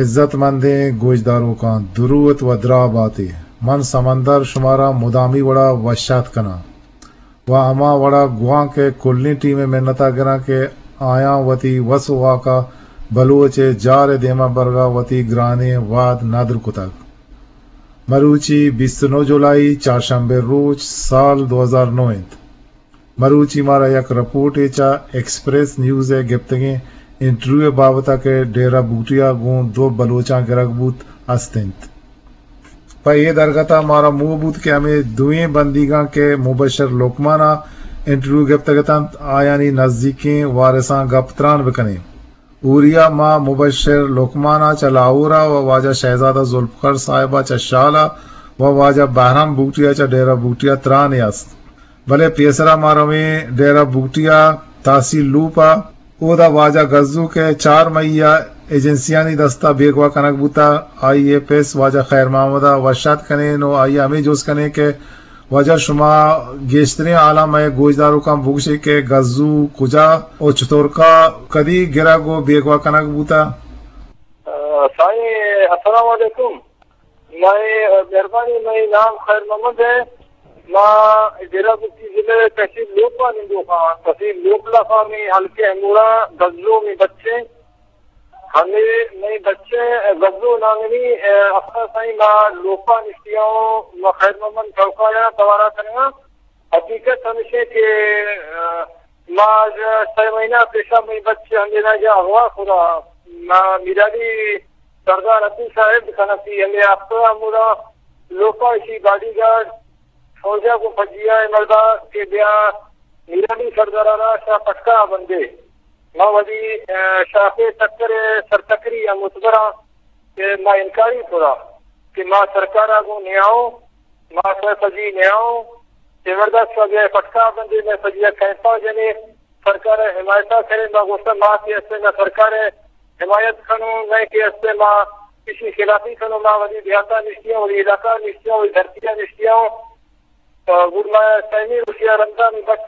عزت مندیں گوشداروکاں، دروت و دراہ باتے۔ من سمندر شمارا مدامی وڑا وشات کناں و ہما وڑا گوانک ء کلیں ٹیم ء منتا گراں کہ آیاں وتی وس و واکا بلوچ ء جار ء دیما برگا وتی گرانیں واد ندر کتگ۔ مروچی بیست و نو جولائی، چارشنبے روچ، سال دو ہزار نو انت۔ مروچی مارا یک رپورٹے چہ ایکسپریس نیوز ء گپتگیں انٹرویو ء بابت ء کہ ڈیرہ بوٹیا گوں دو بلوچاں گرگ بوت است انت۔ پہ اے درگت ء مارا موہ بوت کہ ہمے دوئیں بندیگاں کہ مبشر لقمان ء انٹرویو گپتگ اتنت، آیانی نزیکیں وارثاں گپ تران بکنیں۔ اوریا ما مبشر لقمان ء چہ لاہور ء و واجہ شہزادہ ذوالفقار صاحب ء چہ شال ء و واجہ بہرام بگٹی ء چہ ڈیرہ بگٹی ء ترانے است۔ بلے پیسرا ما رویں ڈیرہ بگٹی ء تحصیل لوپ ء، اودا واجہ گزو کہ چار مئی ء ایجنسیانی دست ء بیگواہ کنگ بوتہ، آئی ء پس واجہ خیر محمد ء وش آتک کنیں و آئی ء ہمے جست کنیں کہ واجہ شما گیشتریں حالاں مئے گوشداروکاں بگوشے کہ گزو کجا و چتورکا کدی گرگ و بیگواہ کنگ بوتہ؟ آ، سائیں، السلام علیکم۔ مئے، آ، مہربانی، مئے نام خیر محمد ہے۔ ما ڈیرہ بگٹی ضلع تحصیل لوپ ء نندوک آں۔ تحصیل لوپ لافا مئے حلقے ہموڑا گزو مئے بچے۔ ہمے مئے بچے گزو نامنی، آ، افسر سائیں ما لوپا نشتیاں، ما خیر محمد چوکایا توارا کنگا۔ حقیقت ہمیشہ کہ، آ، ما سہ مہینہ پیشا مئے بچے ہمے ناجا اغوا خدا ما میرالی سردار عبدل صاحب کنفی ہمے ہفتہ ہمودا لوپا اشی باڈی گارڈ فوجا گوں پجیا ء مردا کہ بیا میرالی سردارا را شاہ پٹکا بندے۔ ما وتی، آ، شاخ ء ٹکر ء سرتکری ء متبر آں کہ ما انکاری کت کہ ما سرکار ء گوں نیاؤں، ما سر پجی نیاؤں، کہ مردا شاہ بیا پٹکا بندے، مئے پجیا کیمپا جنے، سرکار ء حمایت ء کرے۔ ما گوشتہ ما کہ استیں نہ سرکار ء حمایت کنوں، نہ کہ استیں ما کسی خلافی کنوں، ما وتی دیہاتا نشتیاں، وتی علاقہ نشتیاں، وتی دھرتیا نشتیاں۔ تو گڑا ما سیمی روچیا رندا مئے بچ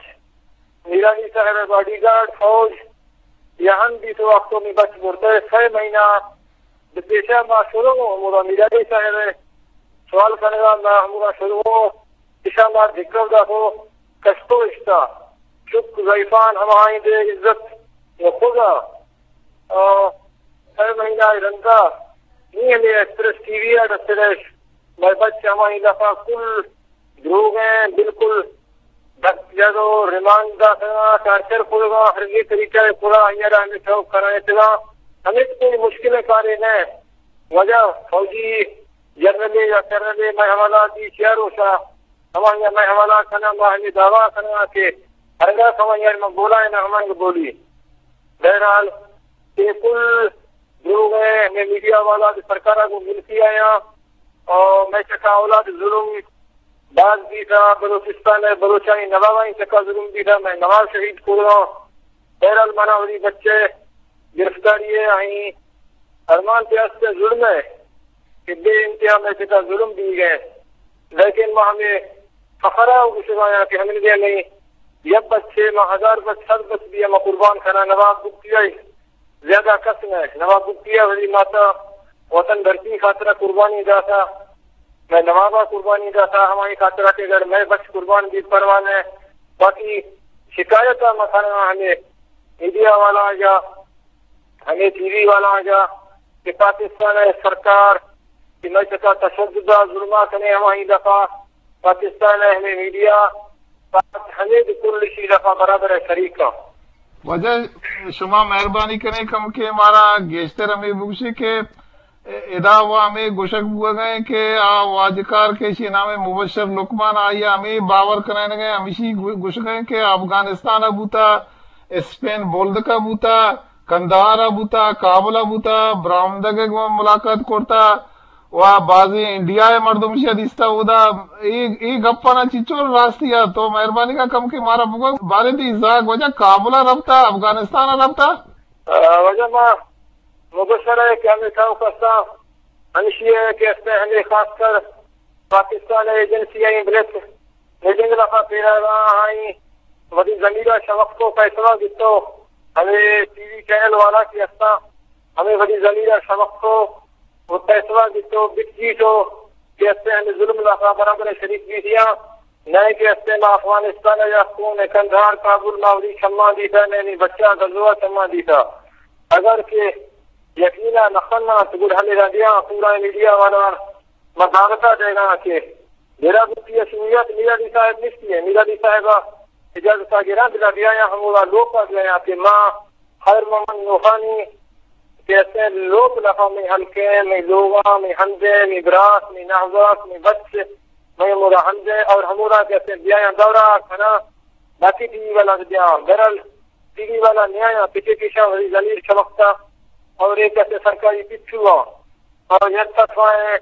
میرانی صاحب ء باڈی گارڈ فوج یا ہم بیت وقت مئے بچ برتہ سہ مہینہ بہ پیشا ما شروع ہمودا میرانی صاحب ء سوال کنگا ما ہمودا شروع ایشاں ما دکہ داتو کشتو اشتا۔ شک ضعیفان ہماہند عزت و خدا، آ، سہ مہینہ رندا نی ہمیں ایکسپریس ٹی وی ء رسرش مئے بچ ہماہند دفعہ کل دروگ ہیں، بالکل دست جد و ریمانڈ داتگا، ٹارچر کرگا، ہر یہ طریقہ پورا آئیارا ہمیں شوق کرائے تگا۔ ہمیں کوئی مشکل کارے نہ۔ وجہ فوجی جنرل یا کرنل مئے حوالہ دی چیا روشا ہمایا مئے حوالہ کنا، ما ہمیں دعویٰ کنا کہ ہرگاہ ہمایا ما بولا ہے نہ ہمانگ بولی۔ بہرحال، یہ کل دروگ ہیں، ہمیں میڈیا والا دی سرکارا کو ملکی آیا اور مئے چکا اولاد ظلم باز بیتا، بلوچستان ء بلوچانی نوابانی چکا ظلم بیتا، مئے نواب شہید کرگا۔ بہرحال منا وتی بچے گرفتاری ء آئی ارمان پہ است ء ظلم ء کہ بے انتہا مئے چکا ظلم بیگ ء، لیکن ما ہمیں فخرا گوشگا یا کہ ہمیں دے نہیں یک بچے ما ہزار بچ صد بچ بھی ہم قربان کنا نواب بکتی آئی زیادہ کس نہ۔ نواب بگٹی ء وتی ماتا وطن دھرتی خاطر ء قربانی داتا، مئے نواب ء قربانی داتا، ہمائی خاطر ء کہ اگر مئے بچ قربان بیت پرواہ نہ۔ باقی شکایت ء ما کناں ہمے میڈیا والا جا، ہمے ٹی وی والا جا کہ پاکستان ء سرکار کہ مئے چکا تشدد ء ظلم ء کنے ہمائی دفعہ پاکستان ء ہمے میڈیا پاک ہمے کل شی دفعہ برابر ء شریک ء۔ واجہ شما مہربانی کنیں کم کہ مارا گیشتر ہمے بگوشے کہ ادا و ہمے گوشگ بوگ ء کہ آ واجکار کہ ایشی نام مبشر لقمان آئی ہمے باور کنائینگ ء ہمیشی گو-، گوشگ ء کہ افغانستان ء بوتا، اسپین بولدک ء بوتا، قندھار ء بوتا، کابل ء بوتا، برامدگ ء گوں ملاقات کرتا، و بازیں انڈیا ء مردم ایشی ء دیستہ اودا۔ اے، اے گپانا چنچو راستی ء تو مہربانی کا کم کہ مارا بگو، باریں تئی زاگ واجہ کابل ء رپتہ، افغانستان ء رپتہ؟ آ، واجہ ما مبشر ء کہ ہمے تھا کسا ہمشی ء کہ استہ ہمے خاص کر پاکستان ء ایجنسی ء بلت میٹنگ لفا پیرا آئی وتی ضمیر ء شمختو فیصلہ گتو، ہمے ٹی وی چینل والا کہ استاں ہمے وتی ضمیر ء شمختو و پیسوا بیتو بکجیتو کہ استیں ہمیں ظلم لافا برابر شریک بیتیاں، نئے کہ استیں ما افغانستان یا خون کندھار کابل ماوری شمان دیتا، نئے نی بچہ غزوہ شمان دیتا۔ اگر کہ یقینا نخنا تو گڑ ہمیں رنڈیاں پورا میڈیا والا ما دعوتا دینا کہ میرا بھی شریعت میرا بھی صاحب نشتی ہے، میرا بھی صاحبہ اجازت آ گرا بلا بیا یا ہمودا لوکا بیا یا کہ ما خیر محمد نوخانی کہ استیں لوک لخا میں ہلکے، میں لوگا، میں ہندے، میں براس، میں نہزاس، میں بچ، میں ہمودا ہندے اور ہمودا کہ استیں بیا یا دورا کھنا باقی ٹی وی والا بیا برل ٹی وی والا نیا یا پچے پیشا وزیر ضمیر چمکتا اور ایک استیں سرکاری پچھو اور یک طرفا ہے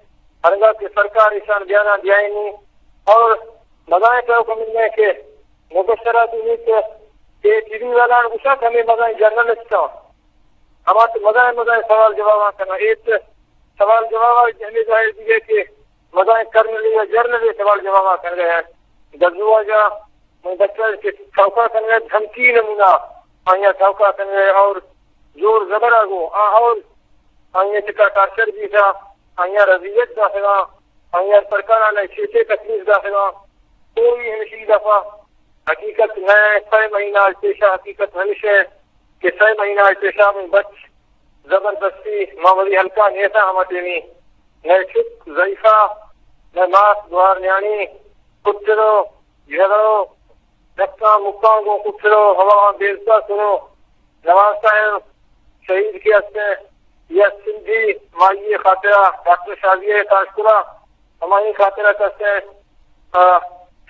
ہرگا کہ سرکار ایشان بیانا دیائینی اور مزائیں تو کمی کہ مبشرہ دینی کہ کہ ٹی وی والا گوشا کہ ہمیں مزائیں جرنلسٹ ہاں، ہما تو مزائیں مزائیں سوال جواب کنا ایت سوال جواب ہمیں ظاہر دیگے کہ مزائیں کرنلی یا جرنلی سوال جواب کر گئے ہیں۔ گزوا جا من بچہ کہ چوکا کنگا دھمکی نمونہ آیا چوکا کنگا اور زور زبر آگو آ اور آیا چکا ٹارچر بیتا، آیا رضیت داخلا، آیا سرکار آنا چیتے تکلیف داخلا، کوئی ہمشی دفعہ حقیقت نہ ہے۔ سہ مہینہ آج پیشہ حقیقت ہمش ہے کہ سہ مہینہ آج پیشہ من بچ زبردستی ما ولی ہلکا نیتا ہما ٹیمی نہ چک ضعیفہ نہ ماس دوار نیانی کٹرو جھگڑو دکاں مکاں گوں کٹرو ہوا بیزتا کرو نواز صاحب شہید کے ہستے یا سندھی مائی خاطرہ ڈاکٹر شازیہ کاشکرا ہمائی خاطرہ کسے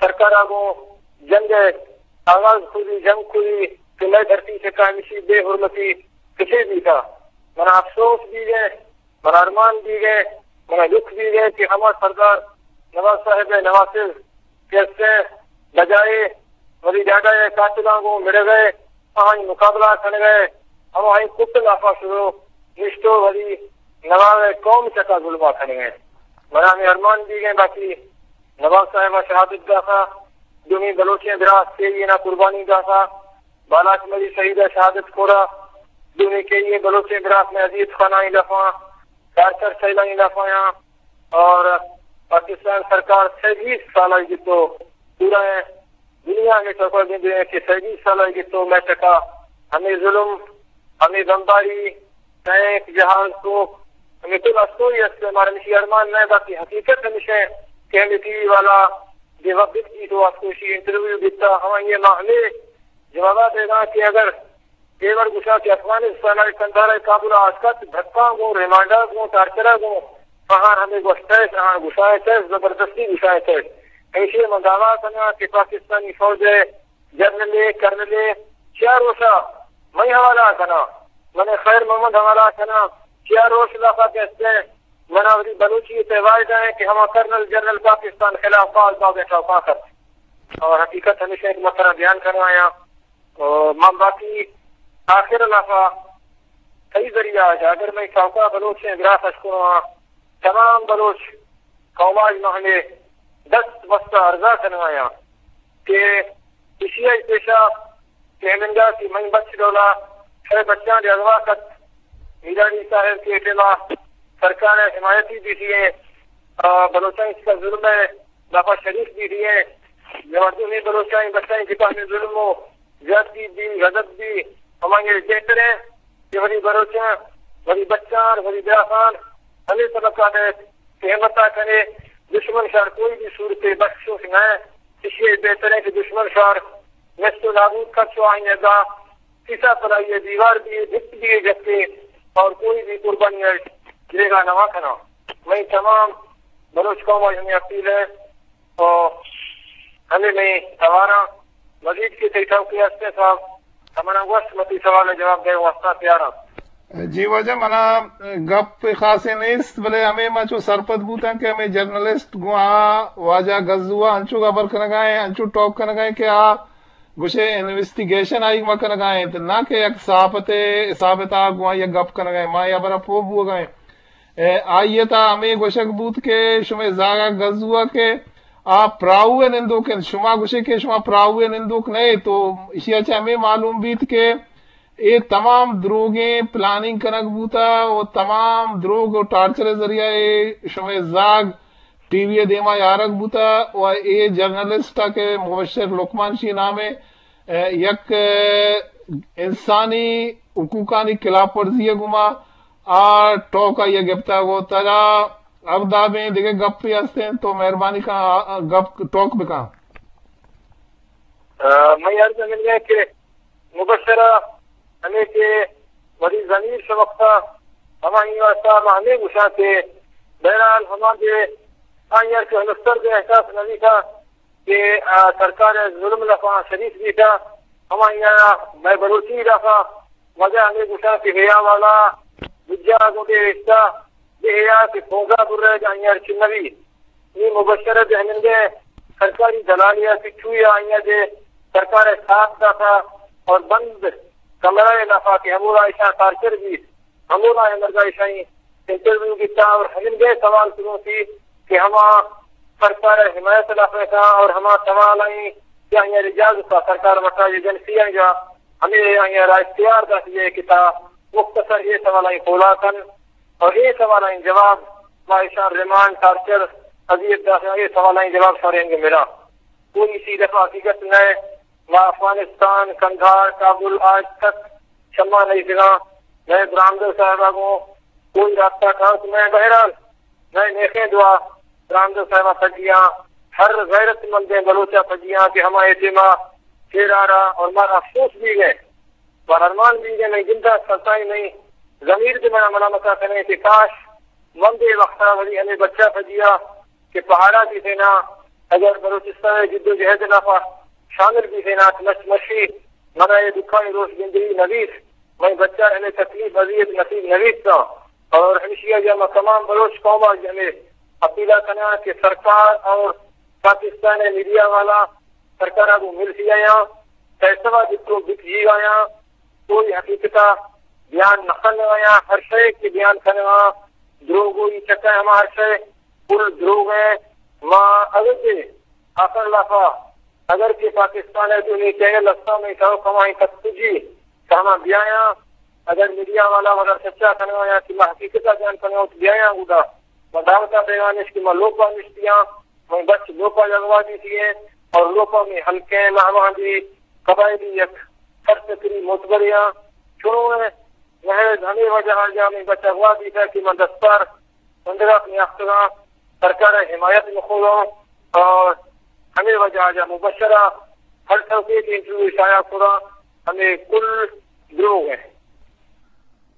سرکارا گوں جنگ آغاز کری جنگ کری کہ مئے دھرتی سے کامشی بے حرمتی کچے بیتا منا افسوس بیگے منا ارمان بیگے منا لک بیگے کہ ہما سردار نواز صاحب نواسز کہ استیں بجائے ولی ڈاڈا ء قاتلاں گوں مڑگ ء آہانی مقابلہ کنگ ء ہماہانی کٹ لافا شروع نشتو ولی نواب ء قوم چکا ظلما کنگ ء منا ہمیں ارمان بیگیں باقی نواب صاحب ء شہادت داتا دومی بلوچیں براس کے یہ نا قربانی داتا بالاچ مری شہید ء شہادت کورا دومی کے یہ بلوچیں براس میں اذیت خانائی لفاں ڈاکٹر سیلانی لافایاں اور پاکستان سرکار سیبیس سال آئی گتو پورا دنیا میں چکر دیں دے کہ سیبیس سال آئی گتو میں چکا ہمیں ظلم ہمیں بمباری ٹینک جہاز کو ہمیں تو استوری است ہمارا مشی ارمان نہ باقی حقیقت ہمیشہ کہ ہمیں ٹی وی والا بے وقت کی تو استوشی انٹرویو دیتا ہم یہ معاملے جوابات دینا کہ اگر پیور گوشاں کہ افغانستان ء کندھار ء کابل ء آتکت، دھکاں گوں، ریمانڈ ء گوں، ٹارچر ء گوں، آہاں ہمے گوشتئے، آہاں گوشائینتئے، زبردستی گوشائینتئے۔ ایشی ء من دعوی کناں کہ پاکستانی فوج ء جنرل ء کرنل ء چیا روشا منی حوالہ ء کناں، من خیر محمد حوالہ ء کناں، چیا روش لافا کہ استیں، من آوری بلوچی ء تہ واحد ء کہ ہما کرنل جنرل پاکستان خلاف فعال بابیں ٹوکاں کرت۔ اور حقیقت ہمیشہ کہ من ترا بیان کنوایاں۔ او، من باقی آخر لافا کئی ذریعہ آج اگر میں چوکا بلوچیں براس اشکنو ہاں، تمام بلوچ قوم آج محلے دست بستہ ارزا کنوایاں کہ اشی آئی پیشا کہ ہمنگا کہ من بچ ڈولا شے بچاں دے اغوا کت میرانی صاحب کے ٹیما سرکار حمایتی بیتی ہیں، آ، بلوچاں اس کا ظلم ہے، دفعہ شریف بیتی ہیں، جواب میں بلوچاں بچاں جتا ہمیں ظلم ہو، زیادتی بی، غضب بی، ہمانگے بہتر ہے کہ ولی بلوچاں، ولی بچان، ولی براخان، ہمیں سبق آتے کہ ہمتا کنے دشمن شار کوئی بھی صورت بخشوش نہ ہے، اس لیے بہتر ہے کہ دشمن شار نشت و نابود کر چو آئیں ادا کسا پلائی دیوار بھی جت بھی جتے اور کوئی بھی قربانی ہے جیگا نوا کنا۔ میں تمام بلوچ قوم آج ہمیں اپیل ہے، او ہمے مئے تواراں مزید کہ تئی ٹوکے ہستیں صاحب، تو منا گوشت، من تئی سوال ء جواب دئیگ ء واستا تیار آں۔ جی واجہ، منا گپ خاصے نیست، بلے ہمے ما چو سرپد بوتاں کہ ہمے جرنلسٹ گوں آ واجہ گزو ء انچو ہبر کنگا ایں، انچو ٹاک کنگا ایں کہ آ گوشے انویسٹیگیشن آئی ما کنگا انت، نہ کہ یک صحافتے، صحافتا گوں آئی ء گپ کنگا ایں۔ ما اے ہبرا پوہ بوگا ایں۔ اے، آئی ء تھا ہمے گوشگ بوت کہ شمئے زاگا گزو ء کہ آ پراہو ء نندوک انت، شما گوشے کہ شما پراہو ء نندوک نہ ئے، تو ایشی ء چہ ہمے معلوم بیت کہ اے تمام دروگیں پلاننگ کنگ بوتا و تمام دروگ و ٹارچر ذریعہ اے شمئے زاگ ٹی وی ءِ دیما یارگ بوتا و اے جرنلسٹ ءَ کہ مبشر لقمان شی نام ءَ، اے، یک، اے، انسانی حقوقانی خلاف ورزی ءِ گوما آ ٹوک آئی ءَ گپتگ و ترا اگدابیں دگہ گپے ہستیں تو مہربانی کن آ، آ گپ ٹوک بکن۔ آ، منی عرض ہمینگہ کہ مبشرہ ہمے کہ وتی ضمیر شمکتا، ہمائی واسطہ ما ہمے گوشاں کہ بہرحال ہما دے آئی ءَ کہ ہنستر دے احساس نہ بیتا کہ، آ، سرکار ءِ ظلم لفا شریک بیتا، ہمائی ءَ مئے بلوچی لفا وجہ ہمے گوشاں کہ حیا والا بجا گوں بے حصہ بے حیا کہ پونزا برے آئی ءَ چنوی۔ نی مبشر ءِ دہمندے سرکاری دلالی ءَ پچوئی ءَ آئی ءَ دے سرکار ءِ ساتھ داتا اور بند کمرہ ءِ لافا کہ ہمودا ایشاں ٹارچر بیت، ہمودا ہمرگا ایشانی انٹرویو بیتا اور ہمنگے سوال کنوتی کہ ہما سرکار ءِ حمایت لافا کاں اور ہما سوال آئی کہ آئی ءَ اجازت سرکار مٹا ایجنسی آئی ءَ ہمیں آئی ءَ را اختیار داتی ہے کہ تا مختصر اے سوال آئی پولا کن۔ اور اے سوالانی جواب ما ایشاں ریمانڈ، ٹارچر، اذیت داشتن، اے سوالانی جواب شمارا اینگہ ملاں۔ کوئی اسی دفعہ حقیقت نہ، ما افغانستان، قندھار، کابل آج تک شما نہیں سگاں، نئے برامدل صاحبہ گوں کوئی رابطہ کھاس نہ۔ بہرحال، نئے نیخیں دعا برامدل صاحبہ سجیاں، ہر غیرت مندیں بلوچہ سجیاں کہ ہما اے ٹیما شیرارا اور مارا افسوس بھی گئے۔ و ارمان بیگ ءَ مئے گند ءَ سرسائی مئے ضمیر دے منا ملامت ءَ کنیں کہ کاش من دے وقت ءَ ولی ہمے بچہ پجیا کہ پہاڑا بیتینا، اگر بلوچستان ءِ جد و جہد ءِ لافا شامل بیتینا کہ مش مشی منا اے دکھانی روش گندگی نہ بیت، مئے بچہ ہمے تکلیف اذیت نصیب نہ بیت۔ اور ہمشی ءَ ما تمام بلوچ قوم ءَ ہمے اپیلا کناں کہ سرکار اور پاکستان ءِ میڈیا والا سرکار ءَ گوں ملسی آیاں، فیصلہ بکو بکجی آیاں، کوئی حقیقت ءَ بیان نہ کنگ آیاں، ہر شے کہ بیان کنگ آں، دروگ ءِ چکا ہما ہر شے کل دروگ ءَ۔ ما اگر کہ آخر لافا اگر کہ پاکستان ءِ دومی چینل ہستاں، میں کہو کمائیں تک جی کہ ہما بیایاں، اگر میڈیا والا وغیرہ سچا کنگا یا کہ ما حقیقت ءَ بیان کنگا تو بیایاں گڈا۔ ما دعوت ءَ دیوان اش کہ ما لوپا نشتیاں، مئے بچ لوپا جگوا دیتی ہیں اور لوپا میں ہلکے مہمان دی قبائلی یک سرفکری معتبریاں چنو ہے۔ محض ہمیں وجہ آ جا میں بچ اغوا دیتا کہ من دستار بندغاک نیاختگاں، سرکار ءِ حمایت مخوگاں اور ہمے وجہ ءَ جا مبشرہ ہر سوکے کہ انٹرویو شائع کراں، ہمے کل دروگ ہیں۔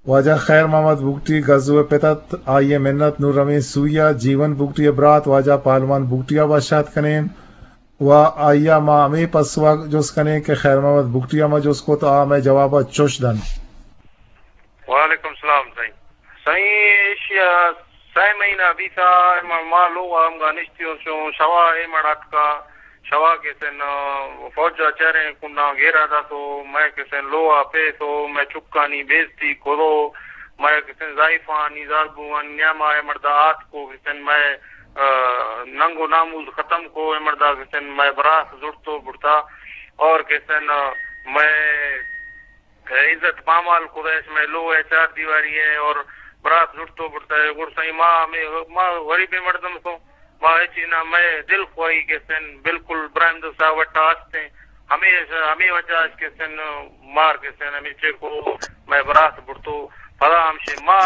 واجہ خیر محمد بگٹی گزو ءِ پت ات، آئی ءِ منت نوں رویں سوئی ءَ۔ جیون بگٹی ءِ برات واجہ پہلوان بگٹی ءَ وش آتک کنیں و آئی ءَ ما ہمے پسو ءَ جست کنیں کہ خیر محمد بگٹی ءَ ما جست کت، آ مئے جواب ءَ چش دنت۔ وعلیکم سلام سائیں۔ سائیں، ایشی ءَ سئے مہینہ بیتا، ما، ما لوگ ءَ ہمگا نشتی ہوں، شوا اے مڑ اتکا، شوا کہ سن، آ، فوج ءَ چریں کنڈاں گھیرا داتو، مئے کہ سن لوگ ءَ پیتو، مئے چکانی بے عزتی کرو، مئے کہ سن زائفانی زالبوانی نیاما اے مڑدا آتکو کہ سن مئے، آ، ننگ و ناموس ختم کو، اے مڑدا کہ سن مئے براس زڑتو بڑتا اور کہ سن، آ، مئے عزت پامال کتہ اش مئے لوہ ءِ چار دیواری ءَ اور برات زڑتو برتہ۔ گڑ سائیں ما ہمے، ما غریبیں مردم سوں، ما ہچی نہ، مئے دل خواہی کہ سن بالکل براہمد صاحب وٹا ہستیں۔ ہمے، ہمے وجہ اش کہ سن مار کہ سن ہمے چیک کو مئے برات برتو۔ پدا ہمشے ما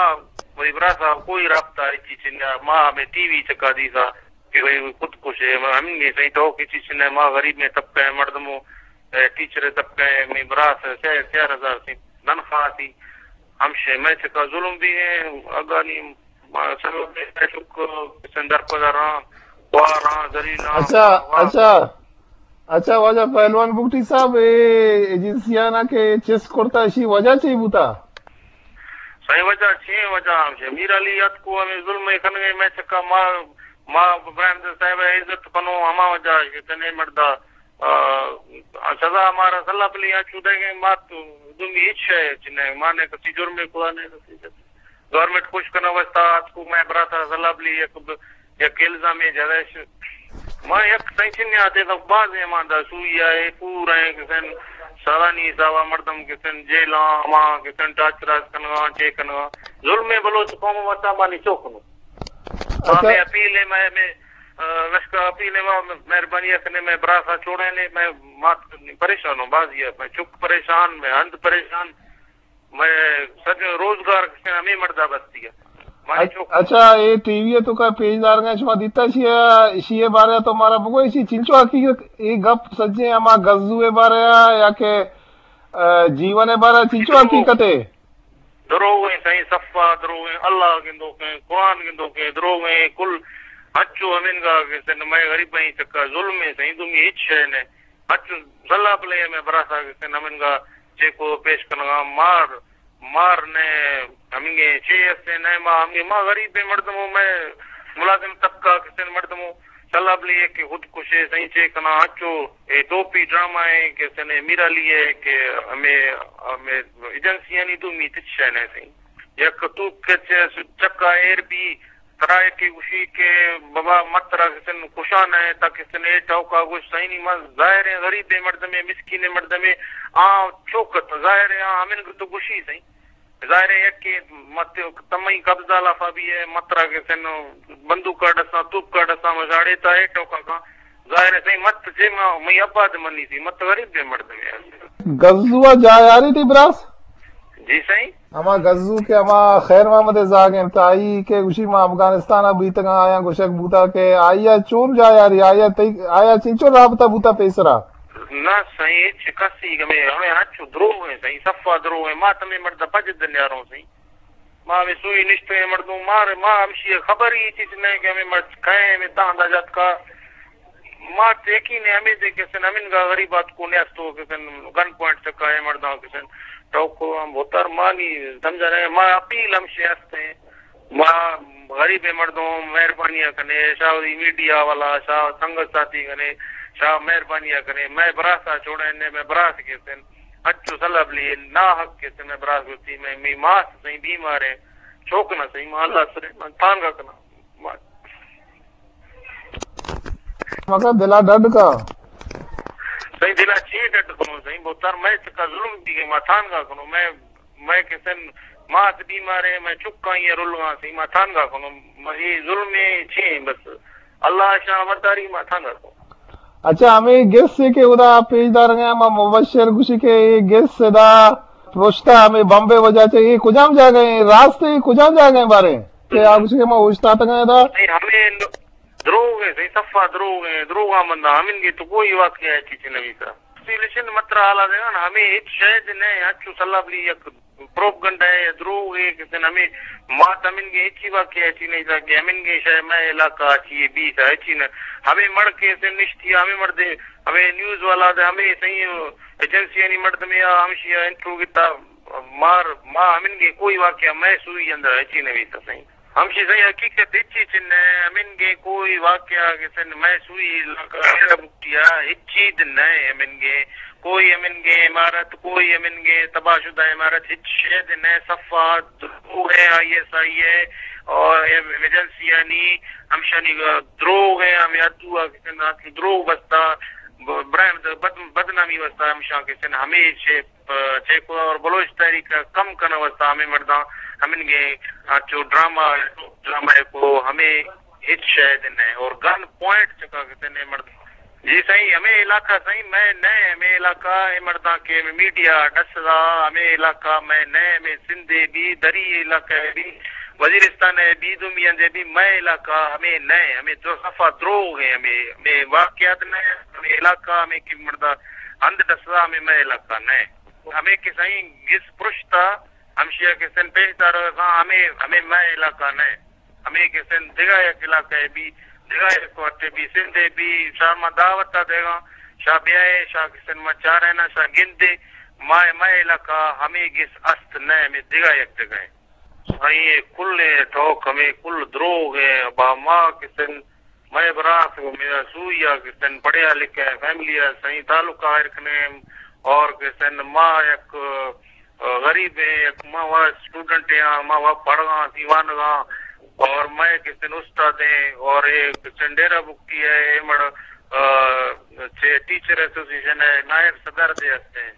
وہی برات صاحب کوئی رابطہ ہچی چنیا، ما ہمے ٹی وی چکا دیسا کہ بھئی خود کش ہے، ہمیں سائیں تو کسی چنیا، ما غریب میں طبقہ ہے مردموں۔ اے ٹیچر ءِ طبقہ ءَ مئے براس ءَ سئے، چار ہزار سی تنخواہ سی، ہمشے مئے چکا ظلم بیگیں، اگانی ما سبب مئے چک سندر پدراں، خواراں، ذلیلاں، اچھا، واہ۔ اچھا، اچھا، واجہ پہلوان بگٹی صاحب، اے ایجنسیانا کہ چست کرتا، اشی وجہ چی بوتا؟ سائیں وجہ چی؟ وجہ ہمشے میر علی اتکو ہمیں ظلم ءَ کنگے مئے چکا، ما، ما براہمد صاحب ءِ عزت کنو، ہما وجہ کہ تنے مڑدا آ، سزا مارا سلا پلی آ چودہ گئے، ما تو دومی ہچ شے چنہ، ما نے کسی جرمے کتا نے کسی۔ گورنمنٹ خوش کنگ واسطہ اتکو، مئے براتا سلا پلی یک، یک الزامے جتش۔ ما یک سائیں چنیا آتے تو باز ایماندار سوئی آئے، پورا ہیں کہ سن سالانی حسابا مردم کسن جیلاں، ہما کسن ٹارچر کنگا، چے کنگا۔ ظلم بلوچ قوم واسطہ مانی چوکنو۔ اچھا۔ ہمیں اپیل ہے، میں، میں، آ، لشکر اپیل ہے، ما مہربانی کنے، میں براسا چھوڑے نے، میں مات پریشان ہوں، بازی ہے، میں چک پریشان، میں ہند پریشان، میں سج روزگار کسن ہمیں مردہ بستی ہے۔ مانی اچ-، چوک۔ اچھا، اے ٹی وی تو کا پیش دار گئے، شما دیتا شیئے، شیئے بارے تو مارا بگو، اسی چنچو حقیقت، اے گپ سچے ہما گزو بارے یا کہ، آ، جیون بارے چنچو حقیقت ہے؟ دروغ ہیں سائیں، صفا دروغ ہیں، اللہ گندوک ہیں، قرآن گندوک ہیں، دروغ ہیں، کل ہنچو ہمینگا کہ سن میں غریب ہیں چکا ظلم ہیں سائیں، دومی ہچ شے نے۔ ہنچو سلا پلے میں براسا کہ سن ہمینگا چیکو پیش کنگا مار، مار نے ہمینگے چے ہستے نے ما ہمینگے ما غریب ہیں مردموں میں ملازم طبقہ کہ سن مردموں سلا پلے کہ خود کشے سائیں چے کنا ہنچو اے ٹوپی ڈرامہ ہیں کہ سن میرا لیے کہ ہمیں، ہمیں ایجنسیانی دومی تچ شے نے سائیں۔ یک توپ کچ چکا ایر بی، ترا یکے گوشی کہ بابا مت ترا کسن کشان ہے، تا کسن اے ٹوکا گوش سائیں نی، ما ظاہر ہے غریب مردمے، مسکین مردمے، آ چوکت ظاہر ہے، آ ہمن تو گوشی سائیں۔ ظاہر ہے یکے مت تمئی قبضہ لافا بھی ہے، مت ترا کسن بندوق کا ڈسا، توپ کا ڈسا، مجاڑے تا اے ٹوکا کا۔ ظاہر ہے سائیں، مت جے ما، مئی ابا دے منی سی، مت غریب دے مردمے آسی۔ گزوا جاہ یاری تی براس؟ جی سائیں۔ ہما گزو کہ ہما خیر محمد زاگ انت، آئی کہ گوشی ما افغانستان ء بیتگاں، آیاں گوشگ بوتا کہ آئی ء چون جاہ یاری، آئی ء تئی، آیا چنچو رابطہ بوتا پیسرا؟ نہ سائیں، ہچ کسی ہمیں، ہمیں ہنچو دروغ ہیں سائیں، صفا دروغ ہیں، ما تمہیں مرد پجد نیاروں سائیں۔ ما ہمے سوئی نشتگیں مردم، ما، ما ہمشی خبر ہی چیز نہیں کہ ہمیں مرد کہیں، ہمیں تاں دا جات کا۔ ما یقین ہے ہمیں دے کہ سن ہمیں گا غریبات کو نیاستو کہ سن گن پوائنٹ چکا ہے مرداں کہ سن ٹوکو ہم بہتر مانی سمجھا نہیں۔ ما اپیل ہمشی ہستے ہیں۔ ما غریب مردم مہربانی کنے، شاہ میڈیا والا، شاہ سنگت ساتھی کنے، شاہ مہربانی کنے، میں براسا چھوڑے نے، میں براس کے سن اچو سلب لی، نا حق کے سن میں براس گوتی، میں می ماس سہی بیمار ہے، چوک نہ سہی، ما اللہ سرے، من تانگا کنا۔ ما مکا دلا ڈڈ کا۔ سہی دلا چی ڈڈ کنو سہی، بہتر میں چکا ظلم دی گئے، ما تانگا کنو، میں، میں کسن ماس بیمار ہے، میں چکا یہ رلگا سہی، ما تانگا کنو، ما یہ ظلم ہے چی ہے بس۔ اللہ شاہ برداری ما تانگا کنو۔ اچھا، ہمیں گس سے کہ ادا پیش دار گئے، ما مبشر گوشی کہ یہ گس سے دا پروشتا ہمیں بمبے وجہ سے، یہ کجام جاگہ ہیں؟ راست ہے، یہ کجام جاگہ ہیں بارے؟ کہ آپ گوشی کہ ما اوشتاتگا دا۔ نہیں، ہمیں دروغ ہیں، صحیح صفا دروغ ہیں، دروغ آ مندہ، ہمیں یہ تو کوئی واقعہ ہے چیز نبی سا۔ سیلیشن متر حالا دے گا نا، ہمیں ہچ شاید نہیں، اچو سلب لی یک پروپگنڈا ہے، دروغ ہے، کہ سن ہمیں مات ہمیں گے ہچی واقعہ ہچی نہیں تھا کہ ہمیں گے شاید میں علاقہ اچھی ہے، بیس ہے، ہچی نہ، ہمیں مڑ کے سے نشتی، ہمیں مردے، ہمیں نیوز والا دے، ہمیں صحیح ایجنسی یعنی مردمے آ ہمشی انٹرو گتا، مار، ما ہمیں گے کوئی واقعہ میں سوئی اندر ہچی نہیں تھا صحیح۔ ہمشی سہی حقیقت ہچی چن نہ، ہمنگے کوئی واقعہ کہ سن میں سوئی علاقہ بوٹیا ہچی دن نہ، ہمنگے کوئی ہمنگے عمارت، کوئی ہمنگے تباہ شدہ عمارت ہچ شے دن نہ، صفا دروغ ہے، آئی ایس آئی ہے اور ایجنسی یعنی ہمشانی دروغ ہے، ہمیں ادو کہ سن دروغ بستا، برائے بد-، بدنامی بستا ہمشان کہ سن ہمیشہ چیکو اور بلوچ تحریک ء کم کنگ واسطہ ہمے مرداں ہمنگے انچو ڈرامہ، ڈرامہ کو ہمے ہچ شے دن ہے اور گن پوائنٹ چکا کتے نے مرداں۔ جی سائیں، ہمے علاقہ سائیں میں نہ، ہمے علاقہ اے مرداں کہ میڈیا ڈس دا، ہمے علاقہ میں نہ، ہمے سندھ ء بھی، دری علاقہ ء بھی، وزیرستان ء بھی، دومی اندے بھی، میں علاقہ ہمے نہ، ہمے دو صفا دروغ ہیں، ہمے، ہمے واقعات نہ، ہمے علاقہ ہمے کہ مرداں ہند ڈسدا ہمے مئے علاقہ نئے۔ ہمے کہ سائیں گس پرشتا، ہمشیا کہ سن پیش دارگا کاں ہمے، ہمے مئے علاقہ نئے۔ ہمے کہ سن دگہ یک علاقہ بی، دگہ یک وٹے بی، سندھے بی، شاہ ما دعوت دیگا، شاہ بیائے، شاہ کہ سن ما چارے نا، شاہ گندے، مئے، مئے علاقہ ہمے گس است نئے، ہمے دگہ یک جگہ ہے۔ سائیں، اے کل ٹوک ہمے کل دروغ ہے۔ با ما کہ سن مئے براس، میرا سوئی ء کہ سن پڑھیا لکھیا فیملی ء سائیں تعلق ظاہر کنے اور کہ سن ما یک، آ، غریب ہیں، یک ما وا اسٹوڈنٹ ہیں، ما وا پڑھگا، دیوانگا اور میں کہ سن استاد ہیں اور اے کہ سن ڈیرہ بگٹی ہے، اے مڑ، آ، چے ٹیچر ایسوسیشن ہے، نائب صدر دے ہستے ہیں۔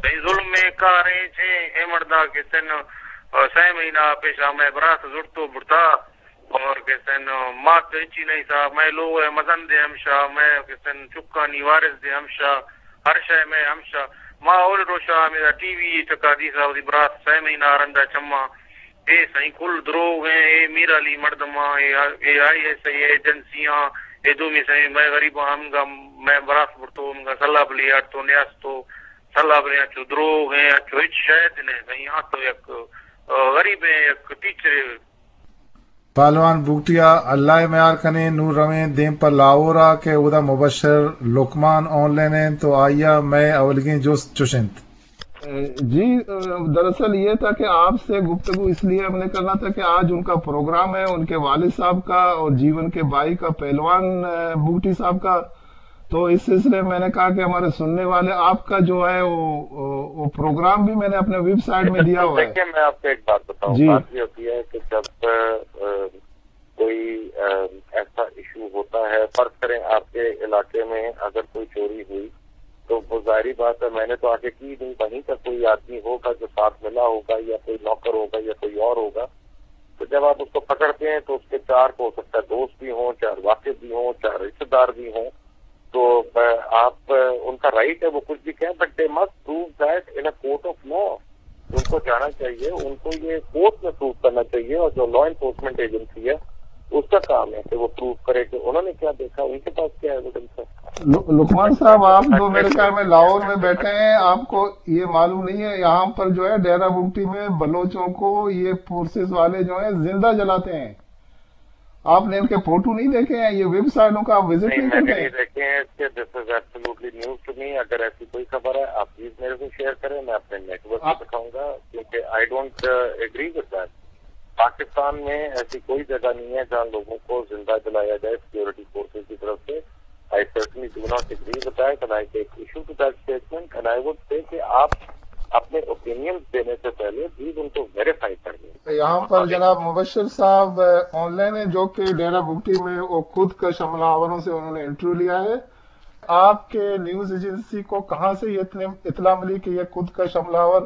تئی ظلم ءِ کاریں چے اے مردا کہ سن، آ، سئے مہینہ پیشا مئے براس زرتو برتا اور کہ سن ما تو ہچی نہیں سا، مئے لوگ ءِ مزن دے ہمشا، مئے کہ سن چکانی وارث دے ہمشا، ہر شے مئے ہمشا۔ ما اول روشا ہمیں ٹی وی چکا دیسا وتی براس سئے مہینہ رندا چما۔ اے سائیں کل دروغ ہیں، اے میر علی مردماں، اے، اے آئی ایس آئی ایجنسیاں، اے دومی سائیں مئے غریباں ہمگا مئے براس برتو، ہمگا سلا بلی آڑتو نیاستو، سلا بلی اچو دروغ ہیں، اچو ہچ شاید نہیں سائیں، آ تو یک، آ، غریب ہیں، یک ٹیچر۔ پہلوان بگٹی ءَ اللہ ءِ میار کنیں، نوں رویں دیم پہ لاہور ءَ کہ اودا مبشر لقمان آن لائن انت تو آئی ءَ مئے اولیگیں جست چش انت۔ جی، دراصل یہ تھا کہ آپ سے گفتگو اس لیے ہم نے کرنا تھا کہ آج ان کا پروگرام ہے، ان کے والد صاحب کا اور جیون کے بھائی کا، پہلوان، اے، بگٹی صاحب کا۔ تو اس سلسلے میں میں نے کہا کہ ہمارے سننے والے آپ کا جو ہے وہ، وہ، وہ پروگرام بھی میں نے اپنے ویب سائٹ میں دیا ہوا ہے۔ دیکھیے، میں آپ کو ایک بات بتاؤں، جی۔ بات یہ ہوتی ہے کہ جب، اے، کوئی، اے، ایسا ایشو ہوتا ہے، فرض کریں آپ کے علاقے میں اگر کوئی چوری ہوئی تو وہ ظاہری بات ہے، میں نے تو آگے کی نہیں، وہیں کا کوئی آدمی ہوگا جو ساتھ ملا ہوگا یا کوئی نوکر ہوگا یا کوئی اور ہوگا۔ تو جب آپ اس کو پکڑتے ہیں تو اس کے چار، ہو سکتا ہے دوست بھی ہوں، چار واقف بھی ہوں، چار رشتے دار بھی ہوں، تو، اے، آپ، اے، ان کا رائٹ ہے وہ کچھ بھی کہیں، but they must prove that in a court of law. ان کو جانا چاہیے، ان کو یہ کورٹ میں پروو کرنا چاہیے، اور جو لا انفورسمنٹ ایجنسی ہے اس کا کام ہے کہ وہ پروو کرے کہ انہوں نے کیا دیکھا، ان کے پاس کیا ایویڈنس ہے۔ لقمان صاحب، آپ جو میرے خیال میں لاہور میں بیٹھے ہیں، آپ کو یہ معلوم نہیں ہے، یہاں پر جو ہے ڈیرہ بگٹی میں بلوچوں کو یہ فورسز والے جو ہیں زندہ جلاتے ہیں۔ آپ نے ان کے فوٹو نہیں دیکھے ہیں؟ یہ ویب سائٹوں کا آپ وزٹ نہیں، نہیں میں نے کرتے ہیں؟ نہیں دیکھے ہیں اس کے۔ This is absolutely news to me. اگر ایسی کوئی خبر ہے، آپ پلیز میرے سے شیئر کریں، میں اپنے نیٹ ورک کو دکھاؤں گا، کیونکہ I don't, uh, agree with that. پاکستان میں ایسی کوئی جگہ نہیں ہے جہاں لوگوں کو زندہ جلایا جائے سیکیورٹی فورسز کی طرف سے۔ I certainly do not agree with that and I take issue to that statement and I would say کہ آپ اپنے اوپینینز دینے سے پہلے پلیز ان کو ویریفائی کر لیں۔ یہاں پر جناب مبشر صاحب، آ، آن لائن ہیں، جو کہ ڈیرہ بگٹی میں وہ خود کش حملہ آوروں سے انہوں نے انٹرویو لیا ہے۔ آپ کے نیوز ایجنسی کو کہاں سے یہ اتنے، اطلاع ملی کہ یہ خود کش حملہ آور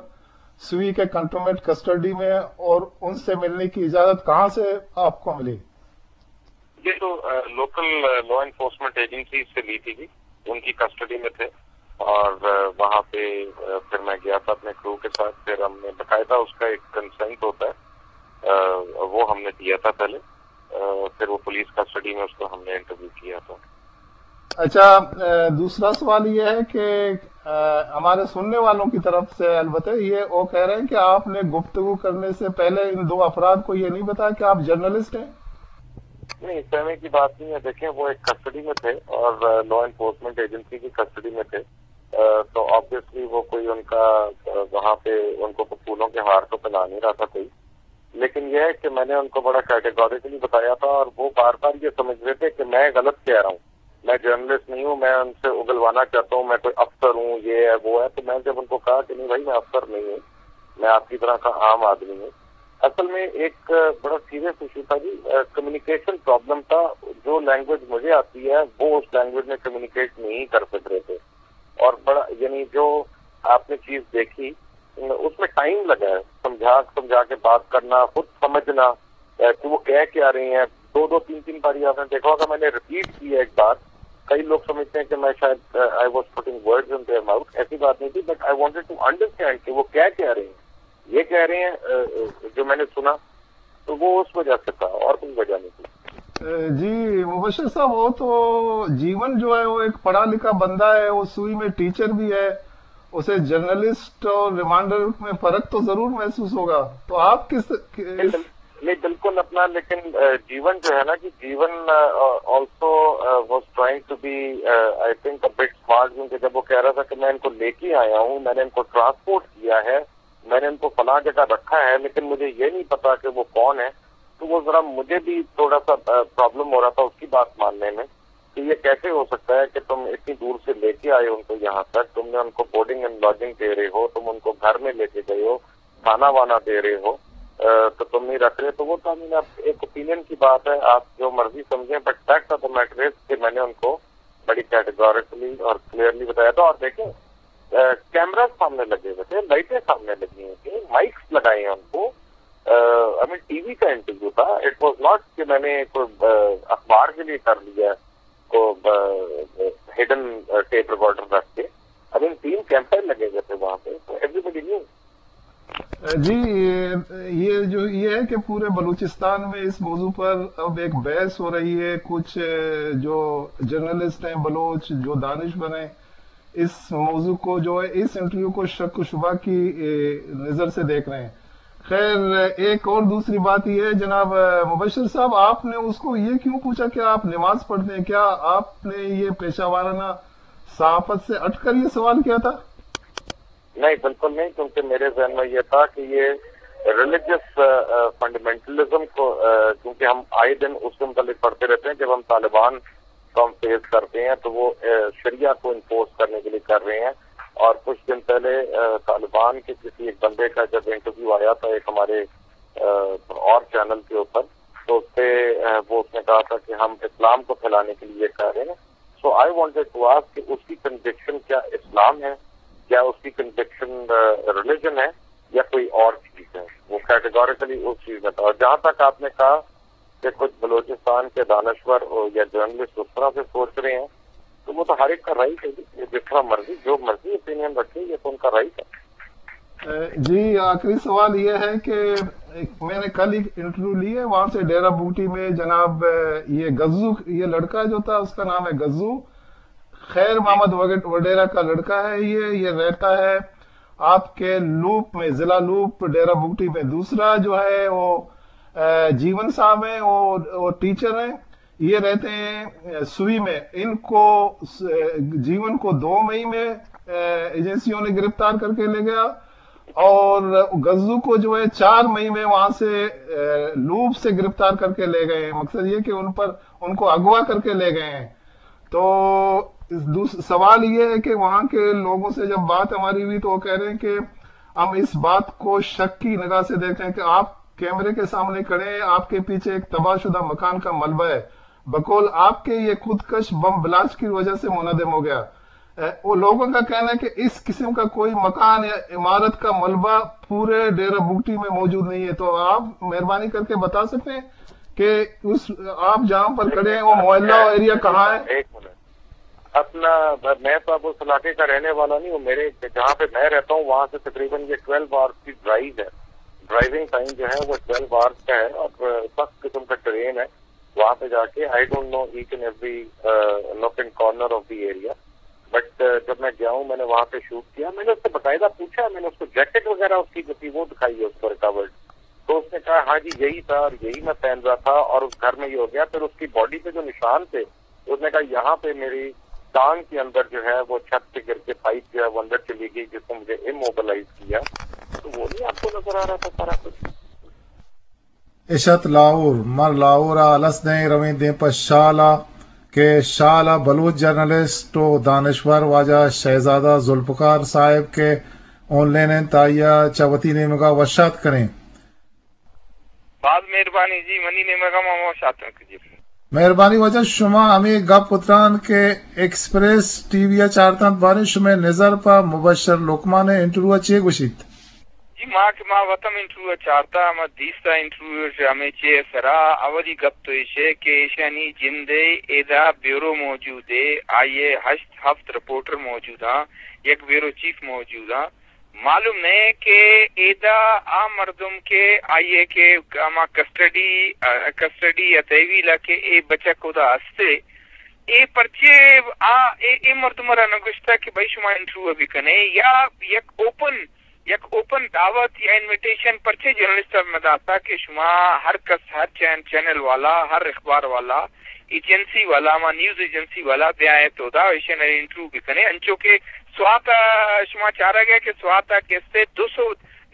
سوئی کے کنٹونمنٹ کسٹڈی میں ہیں اور ان سے ملنے کی اجازت کہاں سے آپ کو ملی؟ یہ تو، آ، لوکل، آ، لا انفورسمنٹ ایجنسی سے لی تھی جی، ان کی کسٹڈی میں تھے اور، آ، وہاں پہ، آ، پھر میں گیا تھا اپنے کرو کے ساتھ، پھر ہم نے باقاعدہ اس کا ایک کنسنٹ ہوتا ہے، آ، وہ ہم نے دیا تھا پہلے، آ، پھر وہ پولیس کسٹڈی میں اس کو ہم نے انٹرویو کیا تھا۔ اچھا، آ، دوسرا سوال یہ ہے کہ، آ، ہمارے سننے والوں کی طرف سے البتہ یہ وہ کہہ رہے ہیں کہ آپ نے گفتگو کرنے سے پہلے ان دو افراد کو یہ نہیں بتایا کہ آپ جرنلسٹ ہیں؟ نہیں، اس طرح کی بات نہیں ہے۔ دیکھیں، وہ ایک کسٹڈی میں تھے اور، آ، لا انفورسمنٹ ایجنسی کی کسٹڈی میں تھے، آ، تو آبویسلی وہ کوئی ان کا، آ، وہاں پہ ان کو پھولوں کے ہار تو پہنا نہیں رہا تھا کوئی، لیکن یہ ہے کہ میں نے ان کو بڑا کیٹیگوریکلی بتایا تھا اور وہ بار بار یہ سمجھ رہے تھے کہ میں غلط کہہ رہا ہوں، میں جرنلسٹ نہیں ہوں، میں ان سے اگلوانا چاہتا ہوں، میں کوئی افسر ہوں، یہ ہے، وہ ہے۔ تو میں جب ان کو کہا کہ نہیں بھائی، میں افسر نہیں ہوں، میں آپ کی طرح کا عام آدمی ہوں۔ اصل میں ایک بڑا سیریس ایشو تھا جی، کمیونیکیشن پرابلم تھا۔ جو لینگویج مجھے آتی ہے وہ اس لینگویج میں کمیونیکیٹ نہیں کر سک رہے تھے، اور بڑا، یعنی جو آپ نے چیز دیکھی، اس میں ٹائم لگا ہے، سمجھا سمجھا کے بات کرنا، خود سمجھنا، اے، کہ وہ کہہ کیا رہے ہیں۔ دو دو تین تین باری آپ نے دیکھا ہوگا، میں نے ریپیٹ کی ہے ایک بات۔ کئی لوگ سمجھتے ہیں کہ میں شاید، اے، I was putting words in their mouth، ایسی بات نہیں تھی، but I wanted to understand کہ وہ کہہ کیا رہے ہیں۔ یہ کہہ رہے ہیں، اے، اے، جو میں نے سنا، تو وہ اس وجہ سے تھا، اور کوئی وجہ نہیں تھی۔ اے، جی مبشر صاحب، وہ تو جیون جو ہے، وہ ایک پڑھا لکھا بندہ ہے، وہ سوئی میں ٹیچر بھی ہے، اسے جرنلسٹ اور ریمانڈر میں فرق تو ضرور محسوس ہوگا، تو آپ کس، کس... نہیں، بل-، نہیں، بالکل اپنا، لیکن، اے، جیون جو ہے نا کہ جیون، اے، also, اے، was trying to be, اے، I think a bit smart، کیونکہ جب وہ کہہ رہا تھا کہ میں ان کو لے کے آیا ہوں، میں نے ان کو ٹرانسپورٹ کیا ہے، میں نے ان کو فلاں جگہ رکھا ہے، لیکن مجھے یہ نہیں پتا کہ وہ کون ہے، تو وہ ذرا مجھے بھی تھوڑا سا، آ، پرابلم ہو رہا تھا اس کی بات ماننے میں کہ یہ کیسے ہو سکتا ہے کہ تم اتنی دور سے لے کے آئے ہو ان کو یہاں تک، تم نے ان کو بورڈنگ اینڈ لاجنگ دے رہے ہو، تم ان کو گھر میں لے کے گئے ہو، کھانا وانا دے رہے ہو، آ، تو تم نہیں رکھ رہے۔ تو وہ تو، I mean، اب ایک اوپینین کی بات ہے، آپ جو مرضی سمجھیں، but fact of the matter is کہ میں نے ان کو بڑی کیٹیگوریکلی اور کلیئرلی بتایا تھا۔ اور دیکھیں، کیمرہ سامنے لگے ہوئے تھے، لائٹیں سامنے لگی ہوئی تھیں، مائکس لگائے ہیں ان کو۔ ہمیں ٹی وی کا انٹرویو تھا، اٹ واز ناٹ کہ میں نے کوئی اخبار کے لیے کر لیا، کو ہڈن ٹیپ ریکارڈر رکھ کے۔ ہمیں تین کیمرہ لگے ہوئے تھے وہاں پہ، تو ایوری بڈی نیو۔ جی، یہ جو یہ ہے کہ پورے بلوچستان میں اس موضوع پر اب ایک بحث ہو رہی ہے۔ کچھ جو جرنلسٹ ہیں بلوچ، جو دانشور ہیں، اس موضوع کو جو ہے، اس انٹرویو کو شک و شبہ کی نظر سے دیکھ رہے ہیں۔ خیر، ایک اور دوسری بات یہ ہے جناب مبشر صاحب، آپ نے اس کو یہ کیوں پوچھا کہ آپ نماز پڑھتے ہیں؟ کیا آپ نے یہ پیشہ وارانہ صحافت سے ہٹ کر یہ سوال کیا تھا؟ نہیں، بالکل نہیں، کیونکہ میرے ذہن میں یہ تھا کہ یہ ریلیجس فنڈامنٹلزم کو، کیونکہ ہم آئے دن اس سے متعلق پڑھتے رہتے ہیں، جب ہم طالبان کو ہم فیس کرتے ہیں تو وہ شریعہ کو انفورس کرنے کے لیے کر رہے ہیں۔ اور کچھ دن پہلے طالبان کے کسی ایک بندے کا جب انٹرویو آیا تھا ایک ہمارے اور چینل کے اوپر، تو اس پہ وہ اس نے کہا تھا کہ ہم اسلام کو پھیلانے کے لیے کر رہے ہیں۔ سو آئی وانٹیڈ ٹو آسک کہ اس کی کنوکشن کیا اسلام ہے، کیا اس کی کنوکشن ریلیجن ہے، یا کوئی اور چیز ہے؟ وہ کیٹیگوریکلی اس چیز میں تھا۔ اور جہاں تک آپ نے کہا کہ کچھ بلوچستان کے دانشور یا جرنلسٹ اس طرح سے سوچ رہے ہیں، تو وہ تو ہر ایک کا رائٹ ہے، جس طرح مرضی، جو مرضی اوپینین رکھے، یہ تو ان کا رائٹ ہے۔ جی، آخری سوال یہ ہے کہ میں نے کل ہی انٹرویو لی ہے وہاں سے، ڈیرہ بگٹی میں جناب یہ غزو، یہ لڑکا جو تھا، اس کا نام ہے غزو، خیر محمد وڈیرہ کا لڑکا ہے یہ۔ یہ رہتا ہے آپ کے لوپ میں، ضلع لوپ، ڈیرہ بگٹی میں۔ دوسرا جو ہے وہ جیون صاحب ہیں، وہ ٹیچر ہیں، یہ رہتے ہیں سوئی میں۔ ان کو، جیون کو دو مئی میں ایجنسیوں نے گرفتار کر کے لے گیا، اور غزو کو جو ہے چار مئی میں وہاں سے لوپ سے گرفتار کر کے لے گئے ہیں۔ مقصد یہ کہ ان پر، ان کو اغوا کر کے لے گئے ہیں۔ تو سوال یہ ہے کہ وہاں کے لوگوں سے جب بات ہماری ہوئی تو وہ کہہ رہے ہیں کہ ہم اس بات کو شک کی نگاہ سے دیکھیں کہ آپ کیمرے کے سامنے کھڑے ہیں، آپ کے پیچھے ایک تباہ شدہ مکان کا ملبہ ہے، بقول آپ کے یہ خود کش بم بلاسٹ کی وجہ سے منہدم ہو گیا۔ وہ لوگوں کا کہنا ہے کہ اس قسم کا کوئی مکان یا عمارت کا ملبہ پورے ڈیرہ بگٹی میں موجود نہیں ہے۔ تو آپ مہربانی کر کے بتا سکتے ہیں کہ اس، آپ جہاں پر کھڑے ہیں، وہ محلہ اور ایریا کہاں ہے؟ ایک منٹ، اپنا، میں تو اب اس علاقے کا رہنے والا نہیں ہوں۔ میرے، جہاں پہ میں رہتا ہوں، وہاں سے تقریباً یہ ٹویلو آورز کی ڈرائیو ہے۔ ڈرائیونگ ٹائم جو ہے وہ ٹویلو آورز کا ہے، اور سخت قسم کا ٹرین ہے۔ وہاں پہ جا کے، I don't know each and every nook and corner of the area, but جب میں گیا ہوں، میں نے وہاں پہ شوٹ کیا۔ میں نے اس سے باقاعدہ پوچھا، میں نے اس کو جیکٹ وغیرہ اس کی جو تھی وہ دکھائی ہے، اس کو ریکورڈ۔ تو اس نے کہا، ہاں جی، یہی تھا اور یہی میں پہن رہا تھا، اور اس گھر میں یہ ہو گیا۔ پھر اس کی باڈی پہ جو نشان تھے، اس نے کہا، یہاں پہ میری ٹانگ کے اندر جو ہے وہ چھت سے گر کے پائپ جو ہے وہ اندر چلی گئی، جس نے مجھے اموبلائز کیا۔ تو وہ نہیں آپ کو نظر آ رہا تھا سارا کچھ؟ اش ات لاہور۔ ما لاہور ء الس دئیں، رویں دیم پہ شال ء کہ شال ء بلوچ جرنلسٹ و دانشور واجہ شہزادہ ذوالفقار صاحب کہ آن لائن انت، آئی ء چہ وتی نیمگ ء وش آتک کنیں۔ باز مہربانی جی، منی نیمگ ء ما وش آتک جی۔ مہربانی واجہ، شما ہمے گپ اتران کہ ایکسپریس ٹی وی ء چارتنت، باریں شمئے نظر پہ مبشر لقمان ء انٹرویو ء چے گوشیت؟ جی، ما کہ ما وت ہم انٹرویو ء چارتا، ہما دیستا انٹرویو اش ہمے چے ء سرا، اولی گپ تو ایش ء کہ ایشانی جند ء ادا بیورو موجود ء، آئی ء ہشت ہفت رپورٹر موجود آں، یک بیورو چیف موجود آں۔ معلوم نہ کہ ادا آ مردم کہ آئی ء کہ ہما کسٹڈی، کسٹڈی ء تحویل ء کہ اے بچک ادا ہستے، اے پرچے آ، اے، اے مردم ء را نہ گوشتہ کہ بھئی شما انٹرویو ء بکنے، یا یک اوپن یک اوپن دعوت یا انویٹیشن پرچے جرنلسٹ ء مہ داتا کہ شما ہر کس، ہر چین-، چینل والا، ہر اخبار والا، ایجنسی والا، ہما نیوز ایجنسی والا بیائے تو دا ایشن انٹرویو بکنے، انچو کہ سوات ء شما چارگ ء کہ سوات ء کسے دو سو،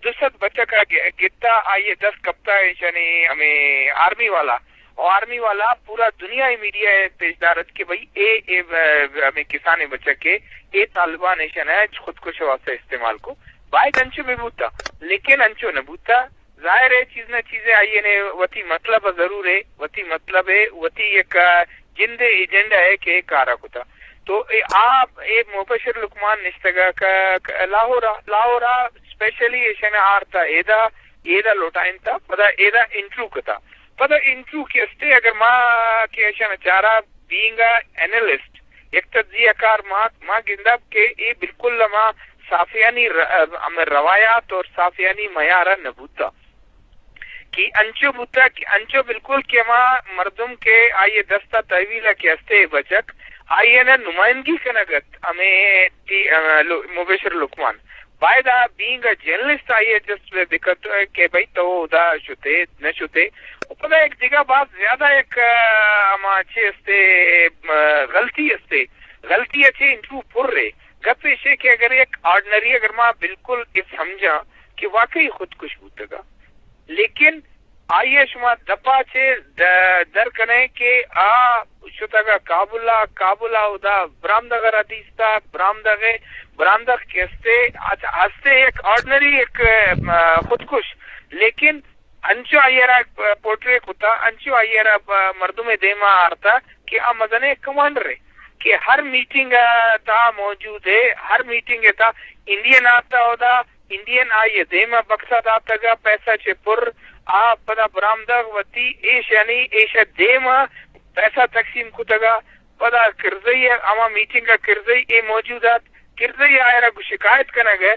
دو سد بچک ء گ-، گتا، آئی ء دست کپتا ایشانی ہمیں آرمی والا، و آرمی والا پورا دنیا ء میڈیا ء پیش دارت کہ بھئی اے، اے، ب-، ہمیں کسانیں بچک ء اے طالبان ایشن ء خودکش ء واسطہ استعمال کو۔ باید انچو بہ بوتا، لیکن انچو نہ بوتا۔ ظاہر ہے چیز نہ چیزے آئی نے وتی مطلب ء ضرور ہے، وتی مطلب ہے، وتی یک جند ایجنڈا ہے کہ اے کارا کتا۔ تو اے آ، اے مبشر لقمان نشتگا کہ، کہ لاہور ءَ، لاہور ءَ اسپیشلی ایشاں آرتا ایدا، ایدا لوٹائینتا، پدا ایدا انٹرویو کتا۔ پدا انٹرویو کہ استے اگر ما کہ ایشاں چارا بینگ ا اینالسٹ، یک تجزیہ کار ما، ما گندب کہ اے بالکل ہما صحافیانی ر-، ہمے روایات اور صحافیانی معیار نہ بوتا۔ کہ انچو بوتا کہ انچو بالکل کہ ہما مردم کہ آئی دستا تحویل کہ استے بچک، آئی نا نمائندگی کنگت ہمے تی-، آ، لو-، مبشر لقمان۔ باید آ بینگ ا جرنلسٹ آئی جسٹ بکت کہ بھئی تو ادا شتے، نہ شتے۔ و پدا ایک دگہ باز زیادہ ایک، آ، ہما چے استے، آ، غلطی استے۔ غلطی اچے انٹرویو پر رے۔ گپ ایشے کہ اگر یک آرڈنری اگر ما بالکل اے سمجھاں کہ واقعی خودکش بوتگا، لیکن آئی ء شما دپا چے د-، در کنئے کہ آ شتگ ء کابل ء، کابل ء اودا برامدگ ء را دیستگ، برامدگ ء، برامدگ کہ استے، اچ-، ہستے یک آرڈنری یک، م-، خودکش، لیکن انچو آئی ء را پورٹری کتا، انچو آئی ء را ب-، مردم ء دیما آرتا کہ آ مزنیں کمانڈر ء کہ ہر میٹنگ ء تہا موجود ء، ہر میٹنگ ء تہا انڈین آتا اودا، انڈین آئی ء دیم ء بکس ء داتگ ء پیسہ چہ پر آ پدا برامدگ وتی ایش یعنی ایش ء دیم ء پیسہ تقسیم کتگ ء پدا کرزئی ء ہما میٹنگ ء کرزئی اے موجود ات۔ کرزئی آئرا گوں شکایت کنگ ء،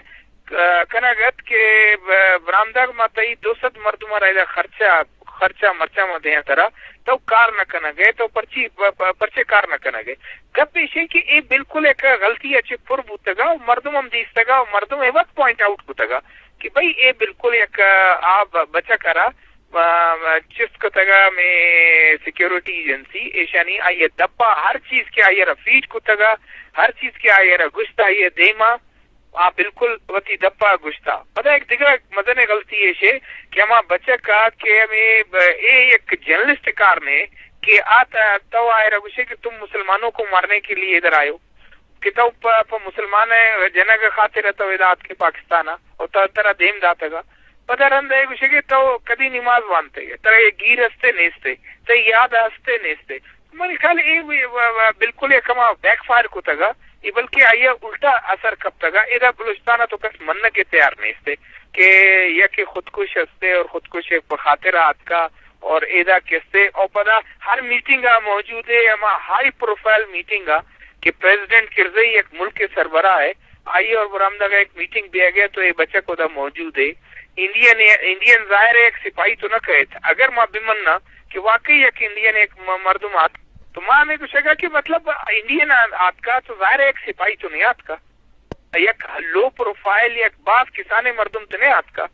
کنگ ات کہ ب-، برامدگ ما تئی دو سد مردم ء را ادا خرچہ، خرچہ مرچہ ما دیاں ترا، تو کار نہ کنگ ء، تو پرچی، پ-، پ-، پرچے کار نہ کنگ ء۔ گپ ایش انت کہ اے بالکل یک غلطی ء چہ پر بوتگ ء، مردم ہم دیستگ ء، مردم اے وت پوائنٹ آؤٹ کتگ ء کہ بھئی اے بالکل یک آ ب-، بچک ء را، آ، چست کتگ ء مئے سیکورٹی ایجنسی، ایشانی آئی ء دپ ء ہر چیز کہ آئی ء را فیڈ کتگ ء، ہر چیز کہ آئی ء را گوشت آئی ء دیم ء آ بالکل وتی دپ ء گوشت ء۔ پدا یک دگہ مزنیں غلطی ایش کہ ہما بچک ء کہ ہمے ب-، اے یک جرنلسٹ کار نے کہ آ ت-، تو آئرا گوشے کہ تم مسلمانوں کو مارنے کے لیے ادھر آئے ہو، کہ تو پ-، پہ مسلمان ء جنگ ء خاطر ء تو ادا آتکے پاکستان ء، و تو ترا دیم داتگ ء۔ پدا رند ء گوشے کہ تو کدی نماز وانتے، ترا یہ گیر ہستے نیستے، تئی یاد ہستے نیستے۔ منی خیال اے وی-، و-، و-، بالکل یک ہما بیک فائر کتگ ء، اے بلکہ آئی ء الٹا اثر کپتگ ء۔ ادا بلوچستان ء تو کس منگ ء تیار نیست کہ یکے خودکش ہستے اور خودکش ء پہ خاطر آتکا اور ادا کستے اور پدا ہر میٹنگ ء موجود ہے، ہما ہائی پروفائل میٹنگ ء کہ پریزیڈنٹ کرزئی یک ملک ء سربراہ ہے، آئی اور برآمدگ ء یک میٹنگ بیگ ء تو اے بچک ادا موجود ہے۔ انڈین، انڈین ظاہر ہے یک سپاہی تو نہ کہت، اگر ما بمننا کہ واقعی یک انڈین ایک م-، مردم آت، تو ما ہمیں گوشگا کہ مطلب انڈین آ-، آتکا تو ظاہر ہے یک سپاہی تو نہیں آتکا، یک لو پروفائل، یک باز کسانیں مردم تو نہیں آتکا۔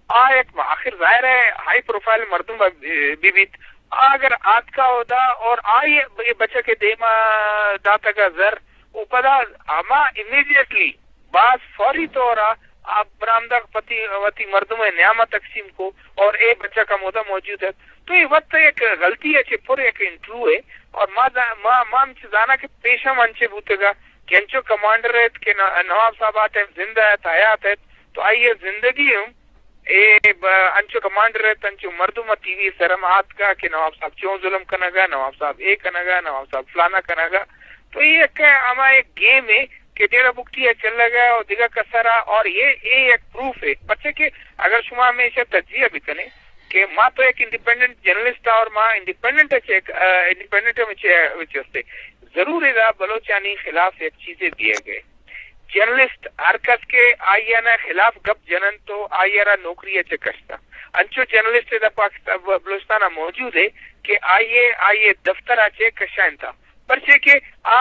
آ یک آخر ظاہر ہے ہائی پروفائل مردم ب-، بی بیت۔ آ اگر آتکا ہودا اور آئی بچہ کے دیما داتگا زر، او پدا ہما امیڈیٹلی باز فوری طور ء آ برآمدگ پتی وتی مردم ء نیام ء تقسیم کو اور اے بچک ہمودا موجود ات۔ تو اے وت یک غلطی ء چہ پر یک انٹرویو ہے اور ما دا-، ما، ما ہم چہ زاناں کہ پیش ہم انچے بوتگا کہ انچو کمانڈر ات کہ ن-، نواب صاحب آ ٹائم زندہ ات، حیات ات، تو آئی ء زندگی ہم اے ب-، انچو کمانڈر ات، انچو مردم ء ٹی وی سر ہم آتکا کہ نواب صاحب چون ظلم کنگا، نواب صاحب اے کنگا، نواب صاحب فلانا کنگا۔ تو اے یک ہما یک گیم ہے کہ ڈیرہ بگٹی ء چلگ ء اور دگہ کسر ء اور یہ اے یک پروف ہے۔ پرچہ کہ اگر شما ہمیشہ تجزیہ بکنے کہ ما تو یک انڈیپینڈنٹ جرنلسٹ ء اور ما انڈیپینڈنٹ ء چیک، آ، انڈیپینڈنٹ ء چے-، چے استے۔ ضرور ادا بلوچانی خلاف یک چیزے دیگ ء۔ جرنلسٹ ہر کس کہ آئی ء خلاف گپ جنن تو آئی ء را نوکری ء چہ کشتا۔ انچو جرنلسٹ ادا پاکستان، بلوچستان ء موجود ہے کہ آئی ء، آئی ء دفتر ء چہ کشائینتا۔ پرچے کہ آ،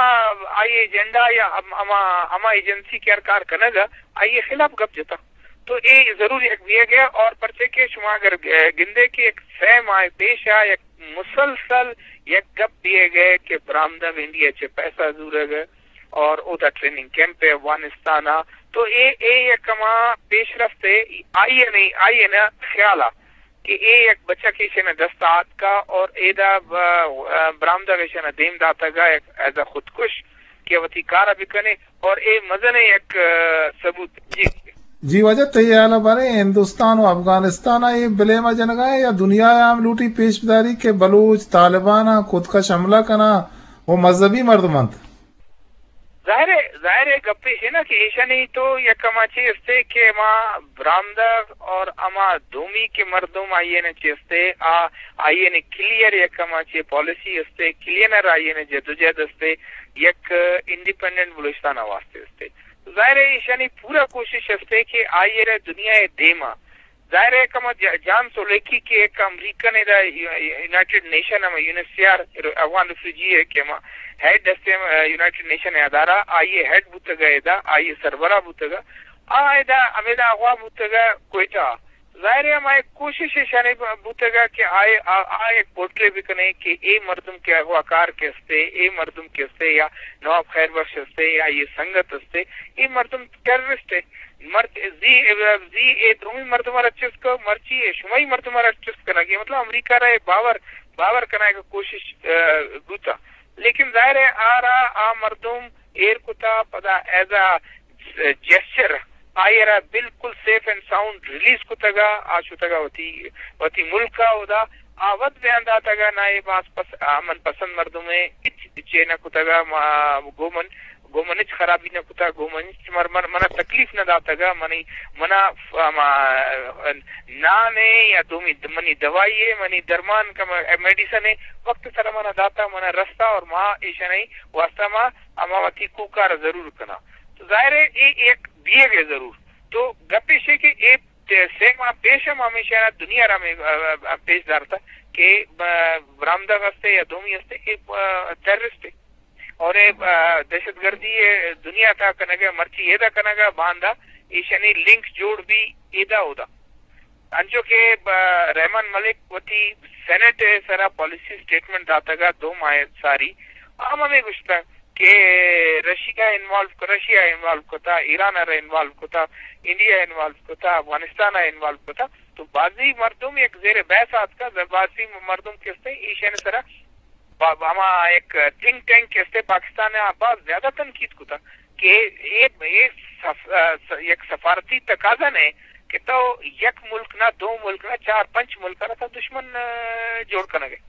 آئی ایجنڈا یا ہم-، ہما، ہما ایجنسی کہ ہر کار کنگ ء، آئی ء خلاف گپ جتا۔ تو اے ضرور یک بیگ ء اور پرچے کہ شما اگر گ-، گندے کہ یک سہ ماہ پیش ء یک مسلسل یک گپ بیگ ء کہ برآمدگ انڈیا چہ پیسہ زورگ ء اور اودا ٹریننگ کیمپ ء افغانستان ء، تو اے، اے یک ہما پیش رفت ء آئی ء نہیں، آئی ء نا خیال ء کہ اے یک بچک ایشی ء دست ء آتکا اور ایدا ب-، برآمدگ ایشی ء دیم داتگ ء یک ایز ا خودکش کہ وتی کار ء بکنے اور اے مزنیں یک، آ، ثبوت۔ جی۔ جی واجہ، تئی ہیال ء باریں ہندوستان و افغانستان ء اے بلیم ء جنگا ہے یا دنیا ء ہم لوٹی پیش بداری کہ بلوچ طالبان ء خودکش حملہ کناں و مذہبی مردم انت؟ ظاہر ہے، ظاہر ہے، گپ ایش ہے نا کہ ایشانی تو یک ہما چی استے کہ ہما برامدہ اور ہما دومی کے مردم آئیے نے چی استے، آ، آئیے نے کلیئر یک ہما چی پالیسی استے، کلیئر آئیے نے جدوجہد استے، یک انڈیپینڈنٹ بلوچستان واسطے استے۔ ظاہر ہے، ایشانی پورا کوشش استے کہ آئیے نے دنیا دیما ظاہر ہے، کما ج-، جان سولیکی کہ ایک امریکن ادا یو-، یونائیٹڈ نیشن ہم یونیسیار افغان ریفیوجی ہے کہ ہما ہیڈ استے، ہم، یونائیٹڈ نیشن ادارہ، آئیے ہیڈ بوتگا ادا، آئیے سربراہ بوتگا۔ آ ادا، ہمیدا اغوا بوتگا کوئٹہ۔ ظاہر ہے، ہما ایک کوشش ایشانی ب-، بوتگا کہ آئے، آ، آ ایک پورٹرے بکنے کہ اے مردم کے اغوا کار کے استے، اے مردم کے استے یا نواب خیر بخش استے یا یہ سنگت استے، اے مردم ٹیررسٹ ہے۔ مرچ-، زی، زی اے دومی مردم را چست کو، مرچی اے شمائی مردم را چست کنگی۔ مطلب، امریکہ را اے باور، باور کنائے کہ کوشش، آ، بوتا۔ لیکن ظاہر ہے، آ را آ مردم ایر کتا، پدا ایز اے جیسچر، آئی را بالکل سیف اینڈ ساؤنڈ ریلیز کتگا، آ شتگا وتی، وتی ملکا۔ اودا آ وت بیان داتگا، نا اے باز پس-، امن پسند مردمے، ہچ چے نہ کتگا، ما، گو من گو من ہچ خرابی نہ کتا، گو من ہچ مر-، مر-، منا تکلیف نہ داتگا، منی، منا ف-، ہما، نان ہے یا دومی د-، منی دوائی ہے، منی درمان کا م-، میڈیسن ہے، وقت سر منا داتا، منا رستا اور ما ایشانی واسطہ ما، ہما وتی کوکار ضرور کنا۔ تو ظاہر ہے، اے ایک دیے گئے ضرور۔ تو گپ ایش ہے کہ اے تے-، سے ماہ پیش ہم ہمیشہ دنیا را میں، آ، آ، پیش دارتا کہ ب-، برامدہ ہستے یا دومی ہستے کہ، آ، ٹیررسٹ ہے۔ اور اے، آ، دہشت گردی ء دنیا تہا کنگ ء مرچی ایدا کنگ ء باندا ایشانی لنک جوڑ بی ایدا اودا۔ انچو کہ، آ، رحمان ملک وتی سینیٹ ء سرا پالیسی سٹیٹمنٹ داتگ ء دو ماہ ساری آ ہمے گوشتگ کہ رشیا انوالو، رشیا انوالو کتا، ایران ء انوالو کتا، انڈیا انوالو کتا، افغانستان ء انوالو کتا۔ تو بازی مردم یک زیر بحث آتکا، بازی مردم کستے ایشانی سرا با-، ہما یک تھنک ٹینک کہ استے پاکستان ء باز زیادہ تنقید کتا کہ اے، اے سف-، س-، یک سفارتی تقاضا نہ کہ تو یک ملک نہ، دو ملک نہ، چار پنچ ملک نہ تو دشمن، آ، جوڑ کنگے۔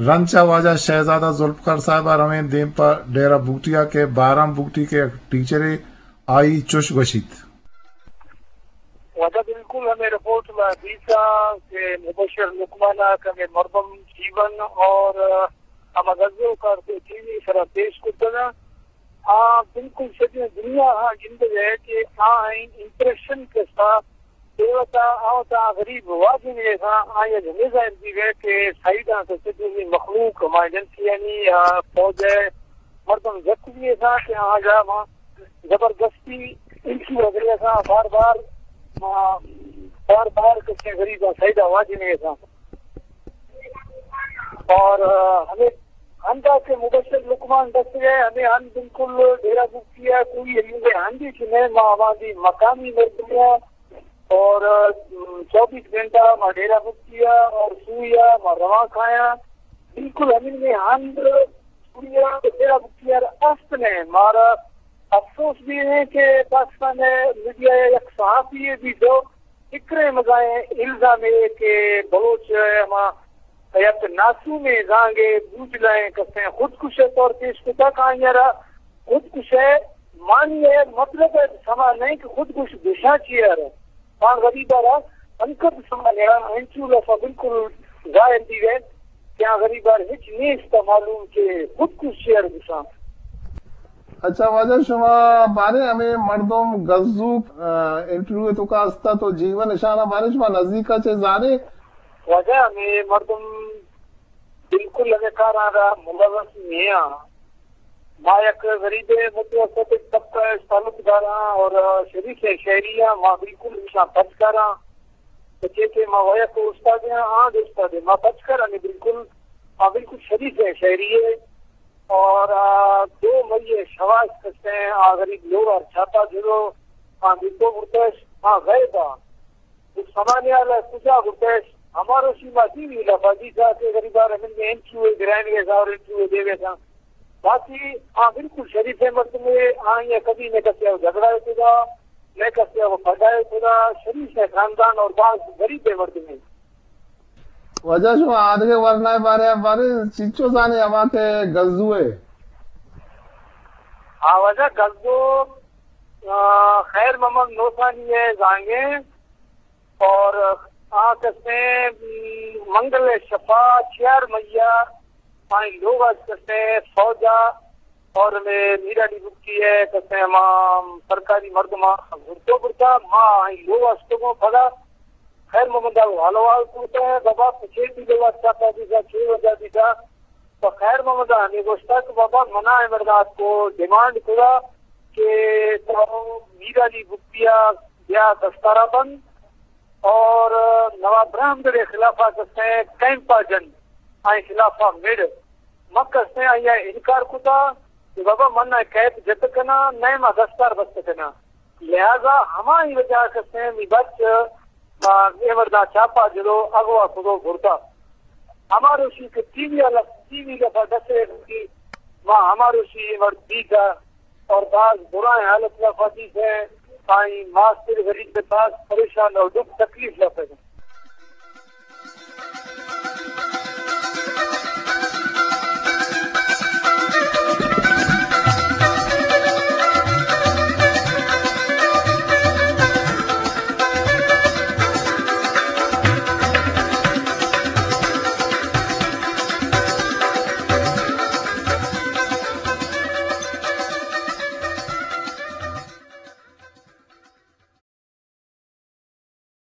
رند چہ واجہ شہزادہ ذوالفقار صاحب ء رویں دیم پہ ڈیرہ بگٹی ء کہ بارام بگٹی کہ یک ٹیچرے آئی چش گوشیت۔ واجہ بالکل ہمے رپورٹ ما دیسا کہ مبشر لقمان ء کہ ہمے مردم جیون اور ہما غزل کار کو ٹی وی سرا پیش کرتگ۔ آ بالکل سجیں دنیا ہاں گندگ ہے کہ آ امپریشن کسا دیوتا آوتا غریب واجہ نے ہاں آیا جمیزا دی گئے کہ سائیڈاں سے سجیں مخلوق ہمارے جنسی یعنی فوج ہے مردم جت دیے تھا کہ آ جا وہاں زبردستی انچو اگلے تھا بار بار، آ، بار بار کسے غریب سیدا واجنے تھا۔ اور، آ، ہمیں ہندا کہ مبشر لقمان دست گئے، ہمیں ہن بالکل ڈیرہ بکیا کوئی ہمیں ہندی کہ میں ماں ہماری مقامی مردمیا اور، آ، چوبیس گھنٹہ ما ڈیرہ بکیا اور سویا ما رواں کھایا۔ بالکل ہمیں ہند سوریا ء ڈیرہ بگٹی ء است نے۔ مارا افسوس بھی ہے کہ پاکستان ء میڈیا ء یک صحافی ء بھی دو فکریں مزائیں الزام ہے کہ بلوچ ء ہما یک ناسومیں زانگ ء بوجلائیں کسیں خودکش ء طور پیش کتا کہ آئی ء را خودکش ء معنی ء مطلب ء سما نہیں کہ خودکش گشاں چی ء را۔ آ غریب ء را انکت سما نیا انچو لفا بالکل ظاہر دی گئے کہ آ غریب ء را ہچ نیست معلوم کہ خودکش چی ء را گشاں۔ اچھا واجہ شما بارے ہمیں مردم گزوک، آ، انٹرویو تو کا استا تو جیون نشانہ بارے شما نزدیک ء چے زانے؟ واجہ ہمیں مردم بالکل ہمیں کاراں را ملوث نیا۔ ما یک غریبیں متوسط طبقہ ء تعلق داراں اور شریف شہری آں، ما بالکل ایشاں پچ کاراں۔ تو چے کہ ما ویک استاد آں، آں استاد ما پچ کر ہمیں بالکل، ما بالکل شریف شہری ہے۔ اور، آ، دو مئی شواز کسے آ غریب لوگ اور چھاپا جلو، آ دیتو برتش، آ غیب آ۔ سمانیال ء کجا گٹش؟ ہمارو شیما ٹی وی لفا جی جا کہ غریبار من نے انچو گرائن گے زاور انچو دیوے تھا۔ باقی آ بالکل شریف ہے مردم ہے، آئی کبھی نہ کسے جھگڑا ہے خدا، نہ کسے پھٹا ہے خدا، شریف ہے خاندان اور باز غریب ہے مردم ہے۔ واجہ شما آدگہ ورنائے بارے بارے چیچو زانے ہما کہ گزو ہے۔ آواجہ گزو خیر محمد نوسانی ہے زانگیں، اور آ کسیں منگل شفا چیار میا آئی لوگ از کسیں فوجا اور میں میرا ڈی بکی ہے کسیں ہما سرکاری مردما گھرتو برتا ما آئی لوگ از تو پدا خیر محمد حالوال کرتا ہے بابا پچے بھی لوگ اچھا دیتا چھ وجہ دیتا تو خیر محمد ہمیں گوشتا کہ بابا منا امرداد کو ڈیمانڈ کرا کہ تو میرا ڈی بکیا یا دستارا بند اور نواب برہمدر خلافا کسیں کیمپا جن آئی خلافا مڑ مکسیں آئی انکار کتا کہ بابا من کیپ جت کنا نئے ما دستار بست کنا لہذا ہمائی وجہ کسیں می بچ اے مردا چاپا جلو اغوا کدو بردا ہمارو شی کہ ٹی وی والا ٹی وی دفعہ دسے ما ہمارو شی مرد دیگا اور بعض برائیں حالت لا فاتی سے آئی ماسٹر غریب کے پاس پریشان اور دکھ تکلیف لا پیدا